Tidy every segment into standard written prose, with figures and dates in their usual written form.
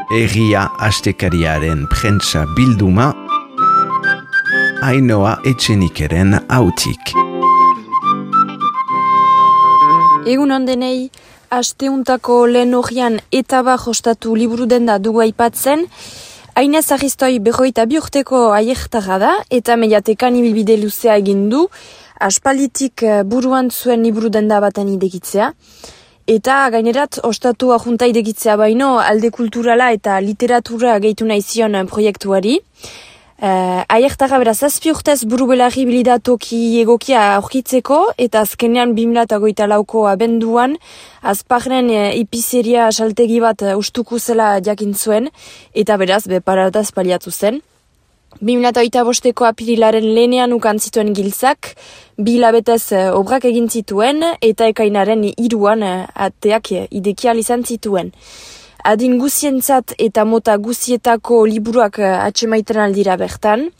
Egia astekariaren prentsa bilduma, Ainhoa Etxenikeren hautik. Egun ondenei, asteuntako lehen horian etaba jostatu liburu denda dugu aipatzen. Ainez Aristoi 22 urteko aiertara da, eta mediatekan ibilbide luzea egin du, aspalditik buruan zuen liburu denda baten idekitzea. Eta gainerat, ostatu ajunta idekitzea baino, alde kulturala eta literatura gehitu nahi zion proiektuari. Aiertara beraz, 7 urtez buru-belarri bilidatoki egokia aurkitzeko, eta azkenean 2024ko abenduan, azparnen ipizeria saltegi bat ustuku zela jakin zuen, eta beraz, beparataz paliatu zen. 2025ko apirilaren lehenean ukan zituen giltzak, 2 hilabetez obrak egin zituen, eta ekainaren 3an ateak idekial izan zituen. Adin guzientzat eta mota guzietako liburuak atxemaiten aldira bertan.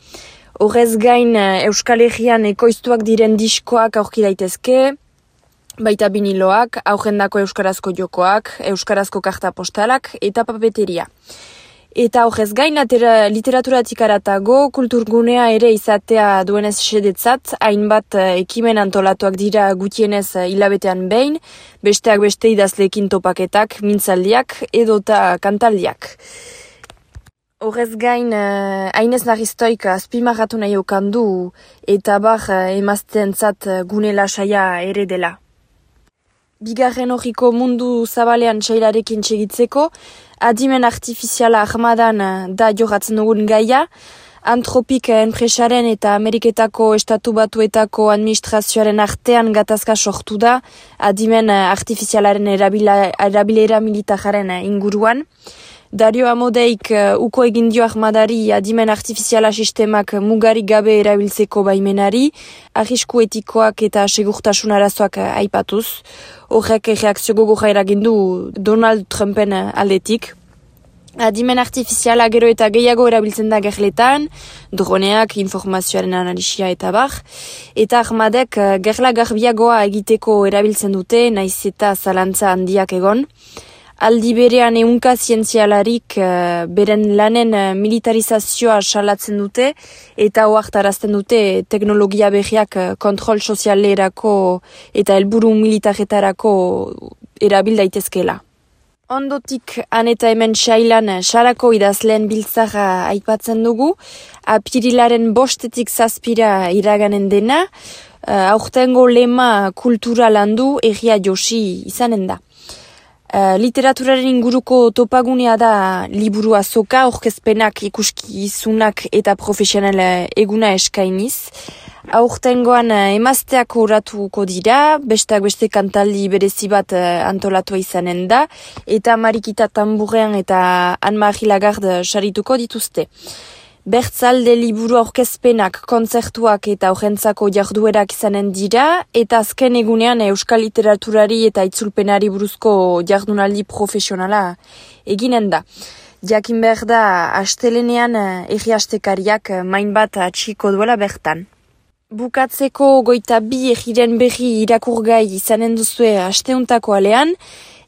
Horrez gain Euskal Herrian ekoiztuak diren diskoak aurki daitezke, baita biniloak, aurrendako euskarazko jokoak, euskarazko karta postalak eta papeteria. Eta horrez gain, literaturatik aratago, kulturgunea ere izatea duenez sedetzat, hainbat ekimen antolatuak dira gutienez hilabetean behin, besteak beste idazleekin topaketak, mintzaldiak edota kantaldiak. Horrez gain, Ainez Aristoi azpimarratu nahi okandu eta bar emazteentzat gune lasaia ere dela. Bigarren horriko mundu zabalean txailarekin txegitzeko, adimen artifiziala ahmadan da jogatzen dugun gaia, Antropik enpresaren eta Ameriketako Estatu Batuetako administrazioaren artean gatazka sortu da, adimen artifizialaren erabilera militararen inguruan. Dario Amodeik uko egin dio ahmadari adimen artifiziala sistemak mugarik gabe erabiltzeko baimenari, arrisku etikoak eta segurtasun arazoak aipatuz. Horrek reakzio gogorra eragin du Donald Trumpen aldetik. Adimen artifiziala gero eta gehiago erabiltzen da gerletan, droneak, informazioaren analisia eta bar. Eta ahmadek gerla garbiagoa egiteko erabiltzen dute, naiz eta zalantza handiak egon. Aldi berean ehunka zientzialarik beren lanen militarizazioa salatzen dute eta ohartarazten dute teknologia berriak kontrol sozialerako eta helburu militaretarako erabil daitezkeela. Ondotik han eta hemen sailan sarako idazleen biltzara aipatzen dugu, apirilaren 5-etik 7 iraganen dena, aurtengo lema kultura landu erria josi izanen da. Literaturaren inguruko topagunea da liburu azoka, aurkezpenak, ikuskizunak eta profesional eguna eskainiz. Aurtengoan emazteak horatuko dira, besteak beste kantaldi berezi bat antolatua izanen da, eta Marikita Tamburrean eta Anne-Marie Lagarde sarituko dituzte. Bertzalde liburu aurkezpenak, kontzertuak eta aurrentzako jarduerak izanen dira, eta azken egunean euskal literaturari eta itzulpenari buruzko jardunaldi profesionala eginen da. Jakin behar da, astelenean erri astekariak main bat atxiko duela bertan. Bukatzeko 22 erriren berri irakurgai izanen duzue asteuntako alean,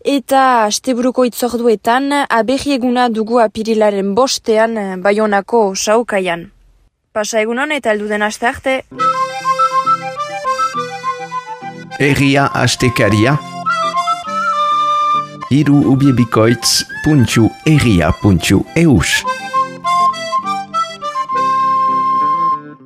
eta asteburuko itzorduetan aberri eguna dugu apirilaren 5ean Baionako Saukaian. Pasa egunon eta helduden aste arte. Egia astekaria, hiru ubiebikoitz.egia.eus